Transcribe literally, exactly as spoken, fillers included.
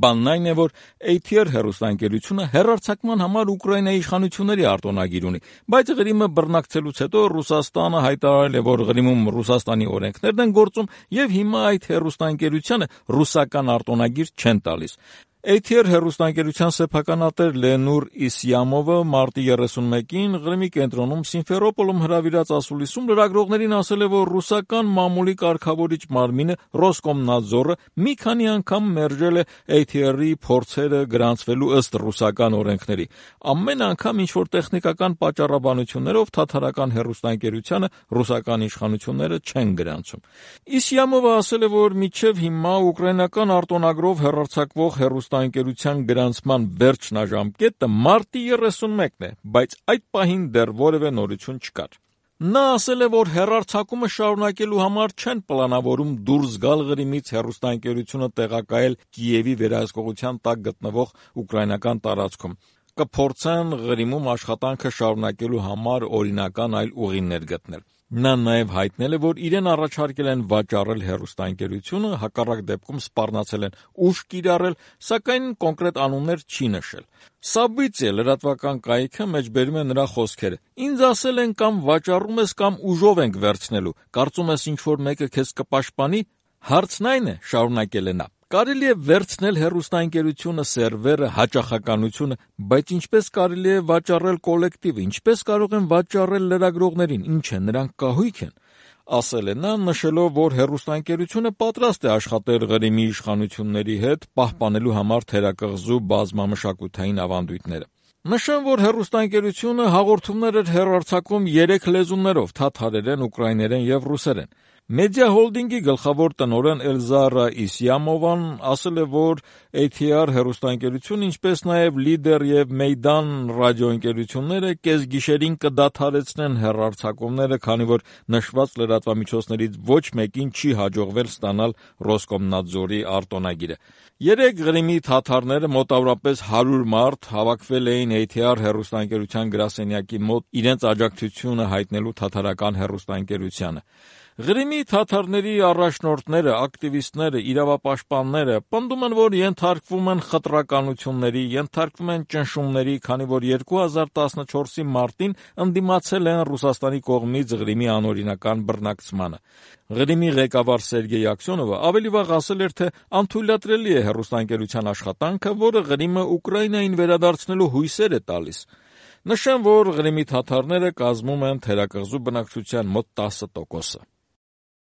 Բանն այն է, որ A T R հեռուստաընկերությունը հեռարձակման համար Ուկրաինայի իշխանությունների արտոնագիր ունի, բայց Ղրիմը բռնակցելուց հետո Ռուսաստանը հայտարարել է, որ Ղրիմում Ռուսաստանի օրենքներն են գործում եւ հիմա այդ հեռուստաընկերությանը ռուսական արտոնագիր չեն տալիս։ A T R հեռուստաընկերության սեփականատեր Լենուր Իսյամովը մարտի երեսունմեկին Ղրիմի կենտրոնում Սիմֆերոպոլում հրավիրած ասուլիսում լրագրողներին ասել է, որ ռուսական մամուլի կարգավորիչ մարմինը Ռոսկոմնadzorը մի քանի անգամ մերժել է A T R-ի փորձերը գրանցվելու ըստ ռուսական օրենքների։ Ամեն անգամ ինչ-որ տեխնիկական պատճառաբանություններով թաթարական հեռուստաընկերությանը ռուսական իշխանությունները չեն գրանցում։ Իսյամովը ասել է, որ մինչև հիմա ուկրաինական արտոնագրով հեռարձակվող հեռուստաընկերության գրանցման վերջնաժամկետը մարտի երեսունմեկն է, բայց այդ պահին դեռ որևէ նորություն չկար։ Նա ասել է, որ հեռարձակումը շարունակելու համար չեն պլանավորում դուրս գալ Ղրիմից հեռուստաընկերությունը տեղակայել Կիևի վերահսկողության տակ գտնվող ուկրաինական տարածքում։ Կփորձեն Ղրիմում աշխատանքը շարունակելու համար օրինական այլ ուղիներ գտնել։ Նա նաև հայտնել է, որ իրեն առաջարկել են վաճառել հեռուստաընկերությունը, հակառակ դեպքում սպառնացել են ուժ կիրառել, սակայն կոնկրետ անուններ չի նշել։ Սաբիցիա լրատվական կայքը մեջբերում է նրա խոսքերը. «Ինձ ասել են կամ վաճառում ես, կամ ուժով ենք վերցնելու, կարծում ես ինչ-որ մեկը քեզ կպաշտպանի»։ Հարցն այն է, շարունակել է նա, կարելի է վերցնել հեռուստաընկերությունը, սերվերը, հաճախականությունը, բայց ինչպես կարելի է վաճառել կոլեկտիվը, ինչպես կարող են վաճառել լրագրողներին, ինչ է, նրանք կահույք են, ասել է նա, նշելով, որ հեռուստաընկերությունը պատրաստ է աշխատել Ղրիմի իշխանությունների հետ, պահպանելու համար թերակղզու բազմամշակութային ավանդույթները։ Նշեմ, որ հեռուստաընկերությունը հաղորդումներ էր հեռարձակում երեք լեզուներով՝ թաթարերեն, ուկրաիներեն եւ ռուսերեն։ Մեդիա հոլդինգի գլխավոր տնօրեն Էլզարա Իսյամովան ասել է, որ A T R հեռուստաընկերությունը, ինչպես նաև Լիդեր եւ Մեյդան ռադիոընկերությունները կեսգիշերին կդադարեցնեն հեռարձակումները, քանի որ նշված լրատվամիջոցներից ոչ մեկին չի հաջողվել ստանալ Ռոսկոմնadzorի արտոնագիրը։ Երեք Ղրիմի թաթարները, մոտավորապես հարյուր մարդ, հավաքվել էին A T R հեռուստաընկերության գրասենյակի մոտ իրենց աջակցությունը հայտնելու թաթարական հեռուստաընկերությանը։ Ղրիմի թաթարների առաջնորդները, ակտիվիստները, իրավապաշտպանները պնդում են, որ ենթարկվում են խտրականությունների, ենթարկվում են ճնշումների, քանի որ երկու հազար տասնչորսի մարտին ընդդիմացել են Ռուսաստանի կողմից Ղրիմի անօրինական բռնակցմանը։ Ղրիմի ղեկավար Սերգեյ Աքսյոնովը ավելի վաղ ասել էր, թե անթույլատրելի է հեռուստաընկերության աշխատանքը, որը Ղրիմը Ուկրաինային վերադարձնելու հույսեր է տալիս։ Նշեմ, որ Ղրիմի թաթարները կազմում են թերակղզու բնակչության մոտ տասը տոկոսը։